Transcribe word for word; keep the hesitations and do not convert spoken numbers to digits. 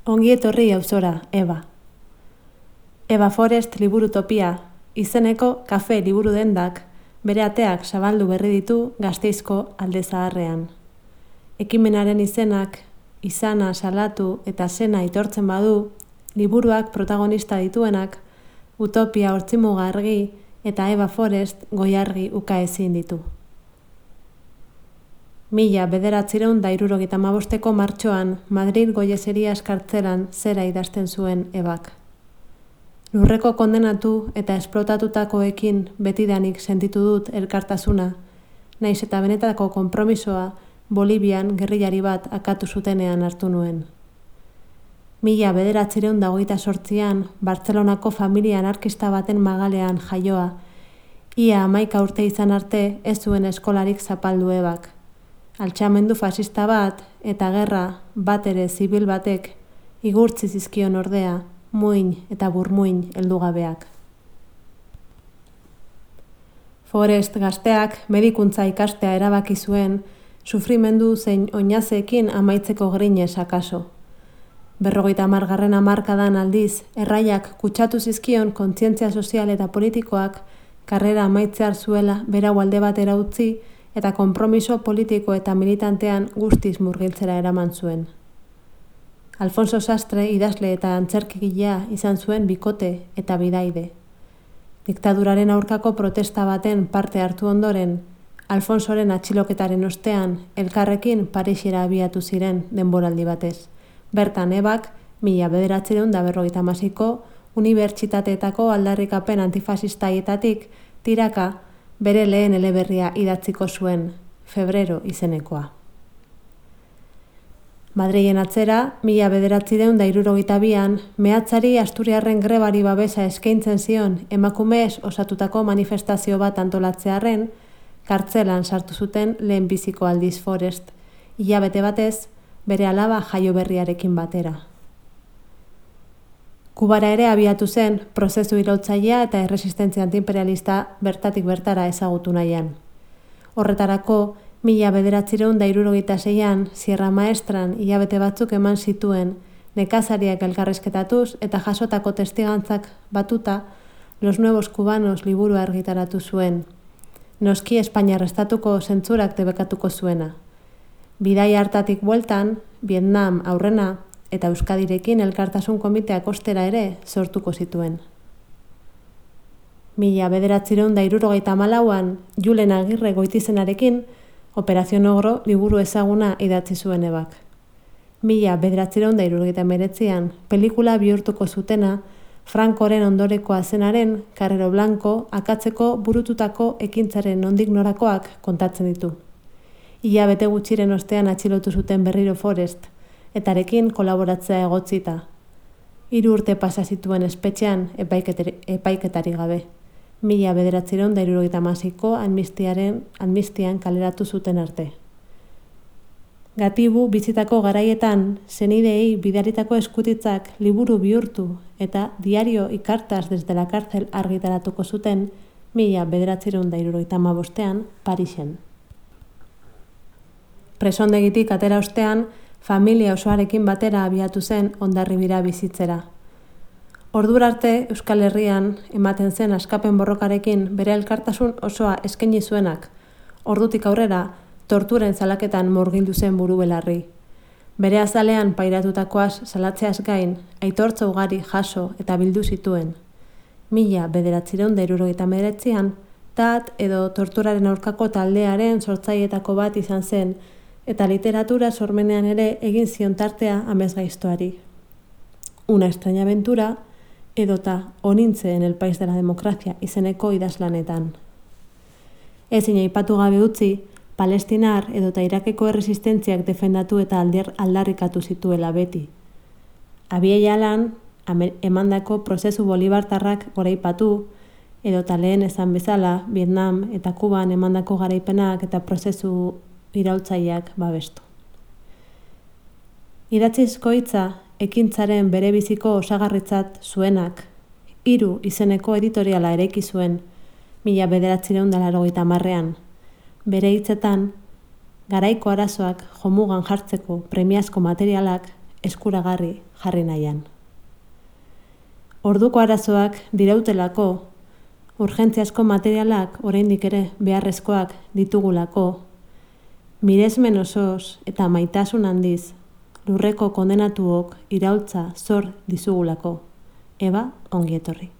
Ongi etorri auzora, Eba. Eba Forest liburutopia, izeneko kafe liburu dendak, bere ateak zabaldu berri ditu Gasteizko Alde Zaharrean. Ekimenaren izenak, izana, salatu eta zena itortzen badu, liburuak protagonista dituenak, Utopia Hortzimuga argi eta Eba Forest goiargi ukaezin ditu. Mila bederatziehun eta hirurogeita hamabosteko martxoan Madrid Goieserias kartzelan zera idazten zuen Ebak. Lurreko kondenatu eta esplotatutakoekin betidanik sentitu dut elkartasuna, naiz eta benetako konpromisoa Bolivian gerrillari bat akatu zutenean hartu nuen. Mila bederatziehun eta hogeita zortzian Bartzelonako familia anarkista baten magalean jaioa, ia hamaika urte izan arte ez zuen eskolarik zapaldu Ebak. Altxamendu fasista bat eta gerra bat ere zibil batek igurtzi zizkion ordea, muin eta burmuin heldugabeak. Forest gazteak medikuntza ikastea erabaki zuen, sufrimendu zein oinazeekin amaitzeko grinez akaso. Berrogeita hamargarren hamarkadan aldiz, erraiak kutsatu zizkion kontzientzia sozial eta politikoak karrera amaitzear zuela berau alde batera utzi eta konpromiso politiko eta militantean guztiz murgiltzera eraman zuen. Alfonso Sastre idazle eta antzerkigilea izan zuen bikote eta bidaide. Diktaduraren aurkako protesta baten parte hartu ondoren, Alfonsoren atxiloketaren ostean elkarrekin Parisera abiatu ziren denboraldi batez. Bertan Ebak, mila bederatziehun eta berrogeita hamaseiko unibertsitateetako aldarrikapen antifasistaietatik tiraka bere lehen eleberria idatziko zuen, Febrero izenekoa. Madrilen atzera, mila bederatziehun eta hirurogeita bian, mehatzari Asturiarren grebari babesa eskaintzen zion emakumez osatutako manifestazio bat antolatzearren, kartzelan sartu zuten lehenbiziko aldiz Forest, hilabete batez, bere alaba jaio berriarekin batera. Kubara ere abiatu zen prozesu iraultzailea eta erresistentzia antiimperialista bertatik bertara ezagutu nahian. Horretarako, mila bederatziehun eta hirurogeita seian Sierra Maestran hilabete batzuk eman zituen nekazariak elkarrizketatuz eta jasotako testigantzak batuta Los Nuevos Cubanos liburua argitaratu zuen. Noski Espainiar estatuko zentzurak debekatuko zuena. Bidai hartatik bueltan, Vietnam aurrena eta Euskadirekin elkartasun komiteak ostera ere sortuko zituen. Mila bederatziehun eta hirurogeita hamalauan Julen Agirre Goitizenarekin Operación Ogro liburu ezaguna idatzi zuen Ebak. Mila bederatziehun eta hirurogeita hemeretzian pelikula bihurtuko zutena Francoren ondorekoa zenaren Carrero Blanco akatzeko burututako ekintzaren nondik norakoak kontatzen ditu. Ia bete gutxiren ostean atxilotu zuten berriro Forest, etarekin kolaboratzea egotzita. Hiru urte pasa zituen espetxean epaiketari gabe. Mila bederatziehun eta hirurogeita hamaseiko amnistiaren amnistian kaleratu zuten arte. Gatibu bizitako garaietan senideei bidaritako eskutitzak liburu bihurtu eta diario y cartas desde la cárcel argitaratuko zuten mila bederatziehun eta hirurogeita hamabostean Parisen. Presondegitik atera ostean, familia osoarekin batera abiatu zen Hondarribira bizitzera. Ordura arte Euskal Herrian ematen zen askapen borrokarekin bere elkartasun osoa eskaini zuenak, ordutik aurrera torturen zalaketan murgildu zen buru belarri. Bere azalean pairatutakoaz salatzeaz gain, aitortza ugari jaso eta bildu zituen. Mila bederatziehun eta hirurogeita hemeretzian, tat edo torturaren aurkako taldearen sortzailetako bat izan zen, eta literatura sormenean ere egin zion tartea amesgaiztoari. Una extraña aventura edota Onintze en el país de la democracia izeneko idazlanetan. Ezin aipatu gabe utzi, Palestinar edota Irakeko erresistentziak defendatu eta alder aldarrikatu zituela beti. Abieialan, emandako prozesu bolibartarrak goraipatu, edota lehen esan bezala, Vietnam eta Kuban emandako garaipenak eta prozesu iraultzaileak babestu. Idatzizko hitza ekintzaren bere biziko osagarritzat zuenak, hiru izeneko editoriala eraiki zuen, mila bederatziehun eta laurogeita hamarrean. Bere hitzetan, garaiko arazoak jomugan jartzeko premiazko materialak eskuragarri jarri nahian. Orduko arazoak dirautelako, urgentziazko materialak oraindik ere beharrezkoak ditugulako, miresmen osoz eta maitasun handiz lurreko kondenatuok iraultza zor dizugulako. Eba, ongi etorri.